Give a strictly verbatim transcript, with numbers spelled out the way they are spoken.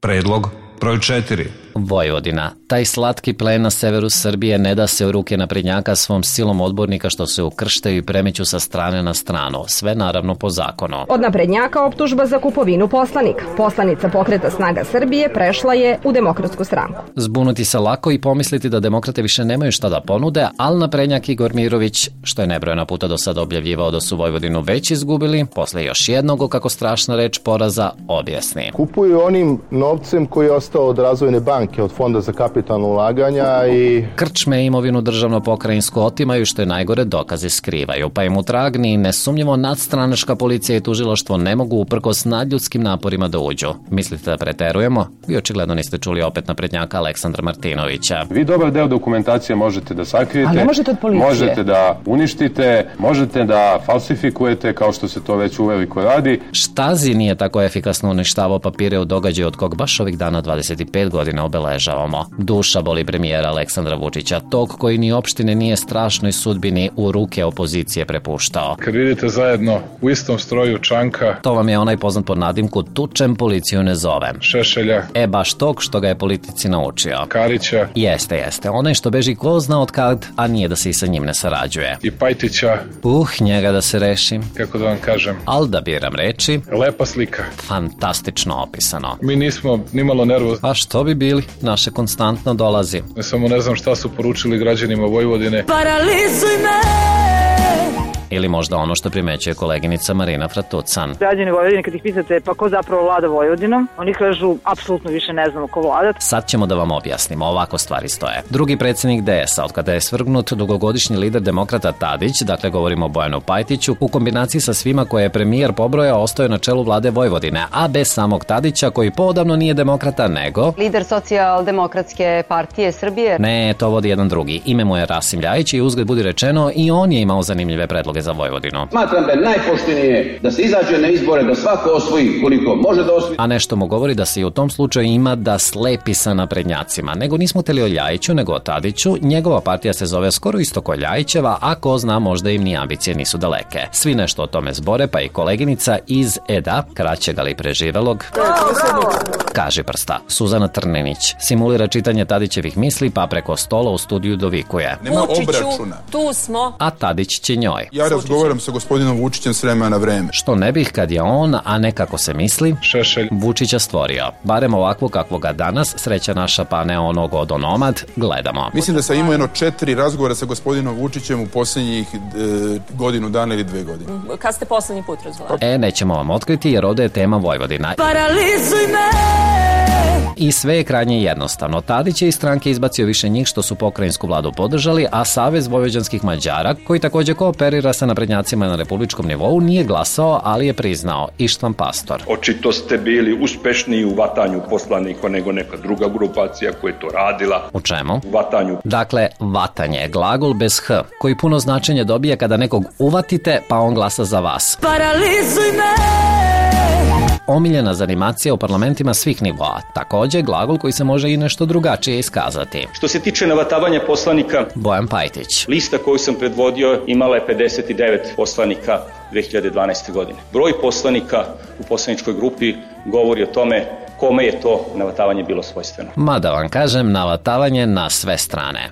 Predlog broj četiri. Vojvodina. Taj slatki plen na severu Srbije ne da se u ruke naprednjaka svom silom odbornika što se ukrštaju i premeću sa strane na stranu. Sve naravno po zakonu. Od naprednjaka optužba za kupovinu poslanika. Poslanica Pokreta Snaga Srbije prešla je u Demokratsku stranku. Zbunuti se lako i pomisliti da demokrate više nemaju šta da ponude, ali naprednjak Igor Mirović, što je nebrojena puta do sada objavljivao da su Vojvodinu već izgubili, posle još jednog, kako strašna reč poraza, objasni. Kupuju onim novcem koji je ostao od razvojne banke, od Fonda za kapitalno ulaganja i... Krčme i imovinu državno-pokrajinsku otimaju, što je najgore, dokaze skrivaju, pa im u trag ni nesumnjivo nadstranačka policija i tužilaštvo ne mogu uprkos nadljudskim naporima da uđu. Mislite da preterujemo? Vi očigledno niste čuli opet naprednjaka Aleksandra Martinovića. Vi dobar deo dokumentacije možete da sakrijete, ali ne možete od policije. Možete da uništite, možete da falsifikujete, kao što se to već uveliko radi. Štazi nije tako efikasno uništavao papire u događaju od kog baš ovih dana dvadeset pet godina obeležavamo. Duša boli premijera Aleksandra Vučića, tog koji ni opštine nije strašnoj sudbini u ruke opozicije prepuštao. Kad vidite zajedno u istom stroju Čanka... To vam je onaj poznat pod nadimku Tučem, policiju ne zovem. Šešelja. E, baš tog što ga je politici naučio. Karića. Jeste, jeste. Onaj što beži ko zna od kad, a nije da se i sa njim ne sarađuje. I Pajtića. Uh, njega da se rešim. Kako da vam kažem? Al da biram reči. Lepa slika. Fantastično opisano. Mi nismo nimalo nervozni. A što bi bili? Naše konstantno dolazi. Ne samo ne znam šta su poručili građanima Vojvodine. Paralizuj me! Ili možda ono što primećuje koleginica Marina Fratucan. Građani Vojvodine, kad ih pitate pa ko zapravo vlada Vojvodinom, oni kažu apsolutno više ne znamo ko vlada. Sad ćemo da vam objasnimo, ovako stvari stoje. Drugi predsjednik D S a, od kada je svrgnut dugogodišnji lider demokrata Tadić, dakle govorimo o Bojanu Pajtiću, u kombinaciji sa svima koje je premijer pobrojao, ostao je na čelu vlade Vojvodine, a bez samog Tadića, koji poodavno nije demokrata, nego... Lider Socijaldemokratske partije Srbije. Ne, to vodi jedan drugi. Ime mu je Rasim Ljajić i uzgled budi rečeno i on je imao zanimljive predloge za Vojvodinu. Smatram da je najpoštenije da se izađe na izbore, da svako osvoji koliko može da osvoji. A nešto mu govori da se i u tom slučaju ima da slepi sa naprednjacima. Nego nismo teli o Ljajiću, nego o Tadiću. Njegova partija se zove skoro isto ko Ljajićeva, a ko zna, možda im ni ambicije nisu daleke. Svi nešto o tome zbore, pa i koleginica iz E D A, kraćeg ali preživelog, kaže prsta. Suzana Trnenić simulira čitanje Tadićevih misli, pa preko stola u studiju dovikuje. Nema obračuna. Tu smo. A Tadić će njoj. Ja razgovaram sa gospodinom Vučićem s vremena na vreme. Što ne bih kad je on, a ne kako se misli, Šešelj Vučića stvorio. Barem ovako kakvo ga danas, sreća naša pa ne onog odonomad, gledamo. Mislim da sam imao jedno četiri razgovora sa gospodinom Vučićem u posljednjih e, godinu dana ili dve godine. Kad ste poslednji put razgovarali? E, nećemo vam otkriti jer ovde je tema Vojvodina. Paralizuj me! I sve je krajnje jednostavno. Tadić je iz stranke izbacio više njih što su pokrajinsku vladu podržali, a Savez vojvođanskih Mađara, koji takođe kooperira sa naprednjacima na republičkom nivou, nije glasao, ali je priznao. Ištvan Pastor. Očito ste bili uspešniji u vatanju poslanika nego neka druga grupacija koja je to radila. U čemu? U vatanju. Dakle, vatanje je glagol bez h, koji puno značenje dobije kada nekog uvatite, pa on glasa za vas. Paralizuj me! Omiljena zanimacija u parlamentima svih nivoa. Takođe, glagol koji se može i nešto drugačije iskazati. Što se tiče navatavanja poslanika, Bojan Pajtić. Lista koju sam predvodio imala je pedeset devet poslanika dve hiljade dvanaeste. godine. Broj poslanika u poslaničkoj grupi govori o tome kome je to navatavanje bilo svojstveno. Mada vam kažem, navatavanje na sve strane.